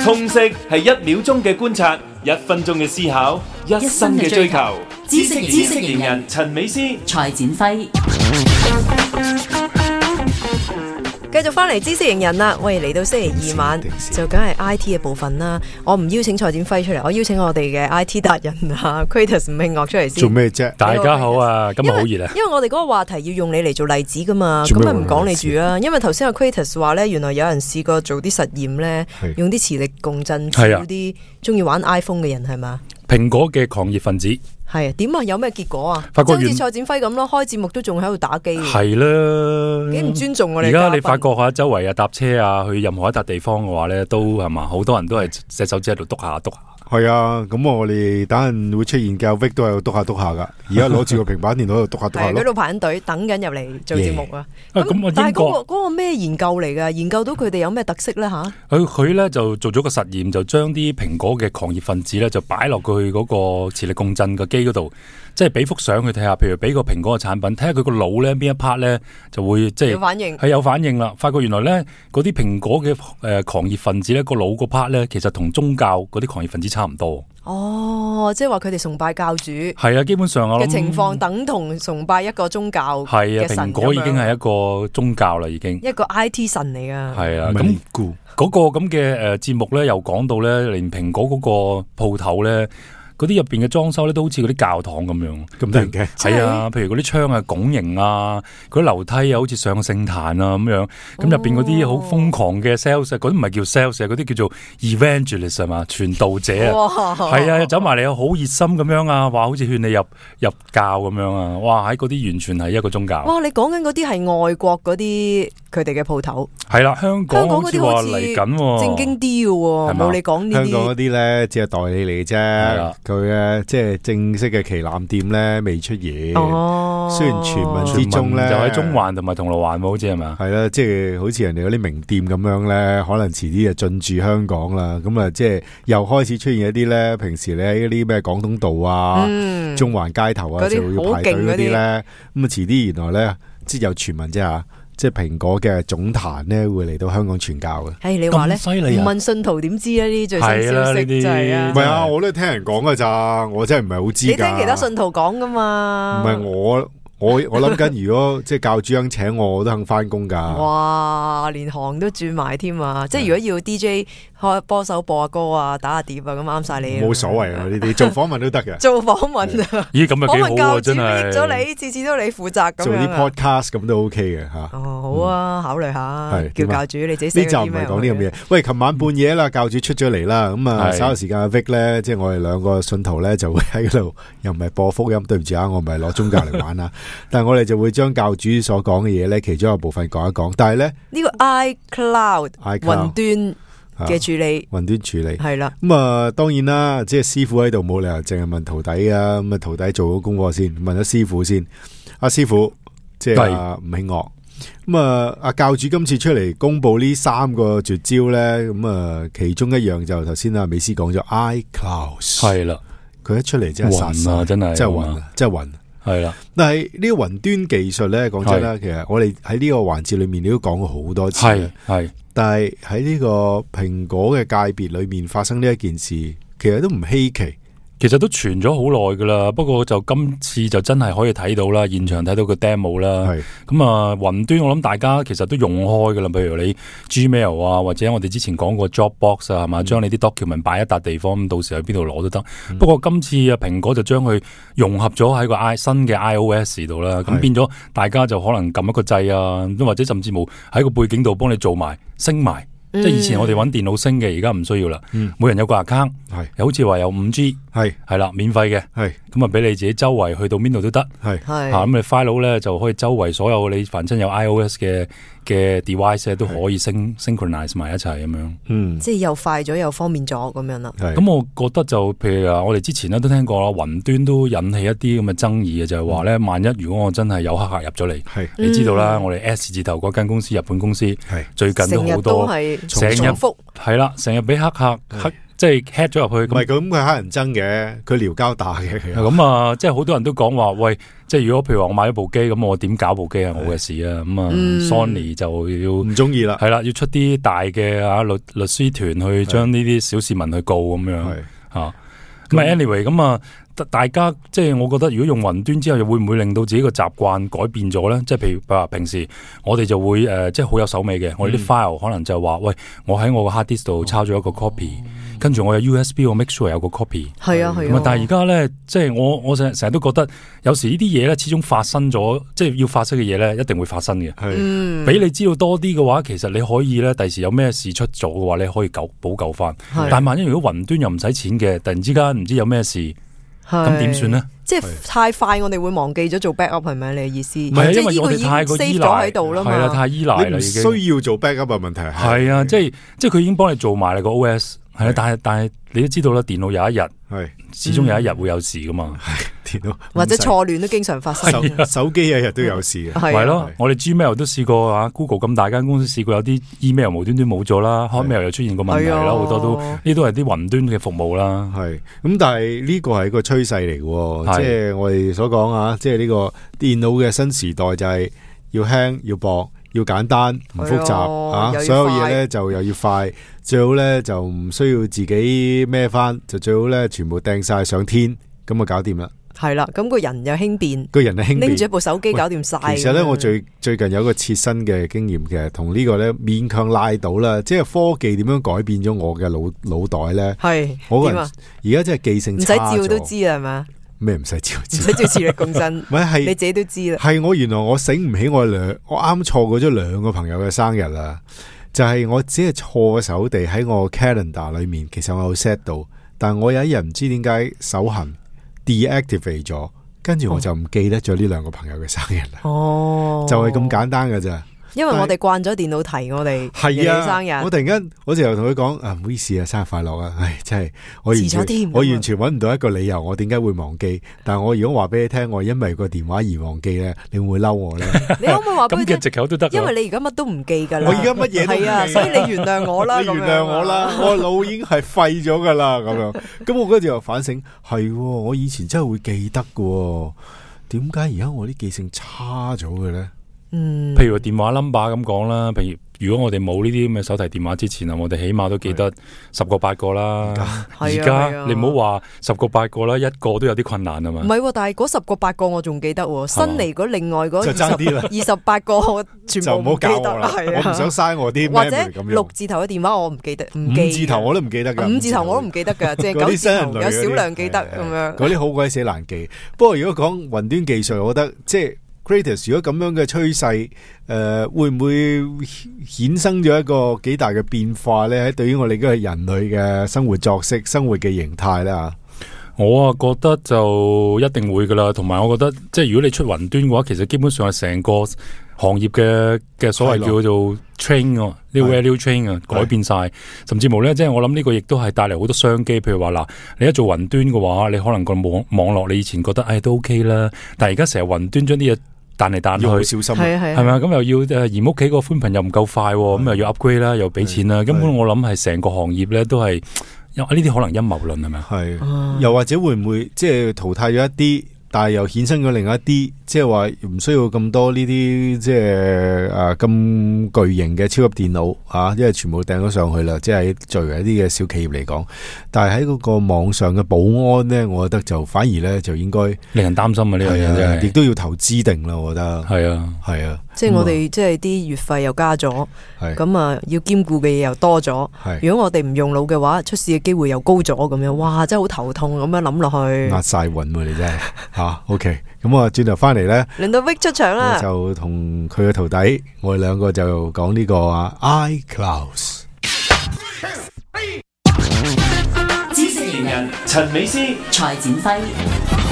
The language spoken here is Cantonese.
通識係1秒鐘嘅觀察，1分鐘嘅思考，1生嘅追求。知識型人陳美詩、蔡展輝。繼續翻嚟知識型人啦，喂，嚟到星期2晚就梗係 IT 嘅部分啦。我唔邀請蔡展輝出嚟，我邀請我哋嘅 IT 達人啊 Kratos 吳慶岳出嚟先。做咩啫？大家好啊，今日好熱啊！因為我哋嗰個話題要用你嚟做例子噶嘛，咁咪唔講你住啊。因為頭先阿 Kratos 話咧，原來有人試過做啲實驗咧，用啲磁力共振處啲中意玩 iPhone 嘅人係嘛？蘋果嘅狂熱分子係啊，點啊？有咩結果啊？發覺好似蔡展輝咁咯，開節目都仲喺度打機。係啦，幾唔尊重我哋。而家你發覺下周圍啊搭車啊去任何一笪地方嘅話咧，都係嘛，好多人都係隻手指喺度篤下篤下。係啊，咁我哋等陣會出現嘅 Vic 都係度篤下噶，而家攞住個平板電腦喺度篤下篤下咯。喺度排緊隊等緊入嚟做節目啊！咁但係嗰個咩研究嚟㗎？研究到佢哋有咩特色咧吓？佢咧就做咗個實驗，就將啲蘋果嘅狂熱分子咧就擺落去嗰個磁力共振嘅機嗰度，即係俾幅相佢睇下，譬如俾個蘋果嘅產品，睇下佢個腦咧邊一 part 咧就會即係有反應，係有反應啦。發覺原來咧嗰啲蘋果嘅狂熱分子咧個腦個 part 咧，其實同宗教嗰啲狂熱分子差唔多。哦，即係話佢哋崇拜教主係啊，基本上嘅情況等同崇拜一個宗教嘅神。係啊，蘋果已經係一個宗教啦，已經一個 IT 神嚟噶。係啊，咁嗰個咁嘅節目咧，又講到咧，連蘋果嗰個鋪頭咧。嗰啲入邊嘅裝修咧都好似嗰啲教堂咁樣，咁得人驚。係啊，譬如嗰啲窗啊拱形啊，嗰啲樓梯啊好似上個聖壇啊咁樣。咁入邊嗰啲好瘋狂嘅 sales，嗰啲唔係叫 sales，嗰啲叫做 evangelist 係嘛，傳道者啊。係啊，走埋嚟好熱心咁樣啊，話好似勸你入教咁樣啊。哇，喺嗰啲完全係一個宗教。哇，你講緊嗰啲係外國嗰啲佢哋嘅鋪頭。係啦，香港好似話嚟緊正經啲嘅喎，冇你講呢啲。香港嗰啲咧只係代理嚟啫。佢嘅即係正式嘅旗艦店咧未出現，雖然傳聞之中咧就喺中環同埋銅鑼灣，好似係嘛？係啦，即係好似人哋嗰啲名店咁樣咧，可能遲啲就進駐香港啦。咁啊，即係又開始出現一啲咧，平時你喺嗰啲咩廣東道啊、中環街頭啊，就要排隊嗰啲咧。咁啊，遲啲原來咧，即係有傳聞啫吓。即係蘋果嘅總壇咧，會嚟到香港傳教嘅。係你話咧，唔問信徒點知啊？呢啲最新消息就係啊，唔係啊，我都聽人講㗎咋，我真係唔係好知。你聽其他信徒講噶嘛？唔係我諗緊，如果即係教主肯請我都肯翻工噶。哇，連行都轉埋添啊！即係如果要 DJ 開波手播下歌啊、打下碟啊，咁啱晒你。冇所謂啊，呢啲做訪問都得嘅。做訪問啊？咦，咁啊幾好啊，真係。益咗你，次次都你負責咁樣。做啲 podcast 咁都 OK 嘅吓。哦，好啊，考慮下。叫教主你自己。呢集唔係講呢咁嘢。喂，琴晚半夜啦，教主出咗嚟啦。咁啊，稍後時間阿 Vic 咧，即係我哋兩個信徒咧，就會喺嗰度，又唔係播福音，對唔住啊，我唔係攞宗教嚟玩啊。但係我哋就會將教主所講嘅嘢咧，其中一個部分講一講。但係咧呢個 iCloud 雲端嘅處理，雲端處理係啦。咁啊，當然啦，即係師傅喺度冇理由淨係問徒弟啊。咁啊，徒弟做咗功課先，問咗師傅先。阿師傅即係吳慶岳。咁啊，阿教主今次出嚟公布呢3個絕招咧，咁啊，其中一樣就頭先阿美斯講咗 iCloud 係啦。佢一出嚟真係殺晒，真係暈，真係暈。係啦，但係呢個雲端技術咧，講真啦，其實我哋喺呢個環節裏面，你都講過好多次。係，但係喺呢個蘋果嘅界別裏面發生呢一件事，其實都唔稀奇。其實都傳咗好耐噶啦，不過就今次就真係可以睇到啦，現場睇到個 demo 啦。咁啊，雲端我諗大家其實都用開噶啦，譬如你 Gmail 啊，或者我哋之前講過 Dropbox 啊，係嘛，將你啲 document 擺一笪地方，咁到時去邊度攞都得。不過今次啊，蘋果就將佢融合咗喺個新嘅 iOS 度啦，咁變咗大家就可能撳一個掣啊，或者甚至乎喺個背景度幫你做埋升埋。即係以前我哋揾電腦升嘅，而家唔需要啦。每人有個 account，又好似話有5G，係啦，免費嘅，咁啊俾你自己周圍去到邊度都得，咁你 file 咧就可以周圍所有你凡親有 iOS 嘅 device 都可以synchronize 埋一齊咁樣。即係又快咗又方便咗咁樣啦。咁我覺得就譬如我哋之前咧都聽過啦，雲端都引起一啲咁嘅爭議嘅，就係話咧，萬一如果我真係有黑客入咗嚟，你知道啦，我哋 S 字頭嗰間公司，日本公司，最近都好多。成日係啦，成日俾黑客即係 hack 咗入去。唔係咁，佢黑人憎嘅，佢撩交打嘅。咁啊，即係好多人都講話，喂，即係如果譬如話我買咗部機，咁我點搞部機係我嘅事啊。咁啊，Sony 就要唔中意啦，係啦，要出啲大嘅律師團去將呢啲小市民去告咁樣吓。咁啊 anyway 咁啊，大家即係我覺得，如果用雲端之後，又會唔會令到自己個習慣改變咗咧？即係譬如話平時我哋就會即係好有手尾嘅，我哋啲 file 可能就話，喂，我喺我個 hard disk 度抄咗一個 copy，跟住我有 USB， 我 make sure 有個 copy。係啊。但係而家咧，即係我成日都覺得，有時呢啲嘢咧，始終發生咗，即係要發生嘅嘢咧，一定會發生嘅。俾你知道多啲嘅話，其實你可以咧，第時有咩事出咗嘅話，你可以補救翻。但係萬一如果雲端又唔使錢嘅，突然之間唔知有咩事。咁點算呢？即係太快，我哋會忘記咗做 backup 係咪？你嘅意思？唔係，因為我哋太過依賴喺度啦嘛。係啦，太依賴啦，已經需要做 backup 嘅問題係啊，即係佢已經幫你做埋你個 OS。係啊，但係你都知道啦，電腦有一日始終有一日會有事噶嘛。電腦或者錯亂都經常發生。手機日日都有事嘅。係咯，我哋 Gmail 都試過啊 ，Google 咁大間公司試過有啲 email 無端端冇咗啦 ，Hotmail 又出現過問題啦，好多都呢都係啲雲端嘅服務啦。係咁，但係呢個係一個趨勢嚟嘅，即係我哋所講啊，即係呢個電腦嘅新時代就係要輕要薄。要簡單唔複雜所有嘢咧就又要快，最好咧就唔需要自己孭翻，就最好咧全部掟晒上天，咁啊搞掂啦。係啦，咁個人又輕便，拎住一部手機搞掂晒。其實咧，我最近有一個切身嘅經驗嘅，同呢個咧勉強拉到啦，即係科技點樣改變咗我嘅腦袋咧。係，我個人而家真係記性差咗，唔使照都知啦，係嘛？咩唔使照？唔使照磁力共振，唔係你自己都知啦。係我原來我醒唔起我啱錯過咗2個朋友嘅生日啦，就係我只係錯手地喺我 calendar 裏面，其實我有 set 到，但係我有一日唔知點解手痕 deactivate 咗，跟住我就唔記得咗呢2個朋友嘅生日啦。哦，就係咁簡單㗎咋。因為我哋慣咗電腦提我哋嘅生日，我突然間我就同佢講唔好意思啊，生日快樂啊！唉，真係我完全揾唔到一個理由，我點解會忘記？但係我如果話俾你聽，我因為個電話而忘記咧，你會唔會嬲我咧？你可唔可以話俾佢聽？咁嘅藉口都得，因為你而家乜都唔記噶啦。我而家乜嘢都唔記係啊，所以你原諒我啦。你原諒我啦，我腦已經係廢咗噶啦，咁樣。咁我嗰陣又反省，係我以前真係會記得噶，點解而家我啲記性差咗嘅咧？譬如電話 number 咁講啦，譬如如果我哋冇呢啲咁嘅手提電話之前啊，我哋起碼都記得10個8個啦。而家你唔好話10個8個啦，一個都有啲困難啊嘛。唔係，但係嗰10個8個我仲記得，新嚟嗰另外嗰28個我全部唔記得。我唔想嘥我啲或者6字頭嘅電話我唔記得，5字頭我都唔記得噶，5字頭我都唔記得噶，即係9字頭有少量記得咁樣。嗰啲好鬼死難記。不過如果講雲端技術，我覺得即係。如果咁樣嘅趨勢，會唔會衍生咗一個幾大嘅變化咧？喺對於我哋嗰個人類嘅生活作息、生活嘅形態咧吓，我覺得就一定會噶啦。同埋我覺得，即係如果你出雲端嘅話，其實基本上係成個行業嘅所謂叫做 train 呢個 value train 啊，改變晒，甚至乎咧，即係我諗呢個亦都係帶嚟好多商機。譬如話嗱，你一做雲端嘅話，你可能個網絡你以前覺得都 OK 啦，但係而家成日雲端將啲嘢彈嚟彈去，好小心，係咪啊？咁又要而屋企個寬頻又唔夠快，咁又要 upgrade 啦，又俾錢啦。根本我諗係成個行業咧都係，呢啲可能陰謀論係咪啊？係，又或者會唔會即係淘汰咗一啲？但係又衍生咗另一啲，即係話唔需要咁多呢啲，即係咁巨型嘅超級電腦啊，因為全部掟咗上去啦。即係作為一啲嘅小企業嚟講，但係喺嗰個網上嘅保安咧，我覺得就反而咧就應該令人擔心啊！呢樣嘢真係，亦都要投資定啦。我覺得係啊，即係我哋即係啲月費又加咗，咁啊要兼顧嘅嘢又多咗。如果我哋唔用腦嘅話，出事嘅機會又高咗，咁樣哇，真係好頭痛咁樣諗落去，壓晒韻你真係。OK， 咁我轉頭翻嚟咧，輪到 Vic 出場啦，我就同佢嘅徒弟，我哋兩個就講呢個iCloud。知識型人陳美詩、蔡展輝。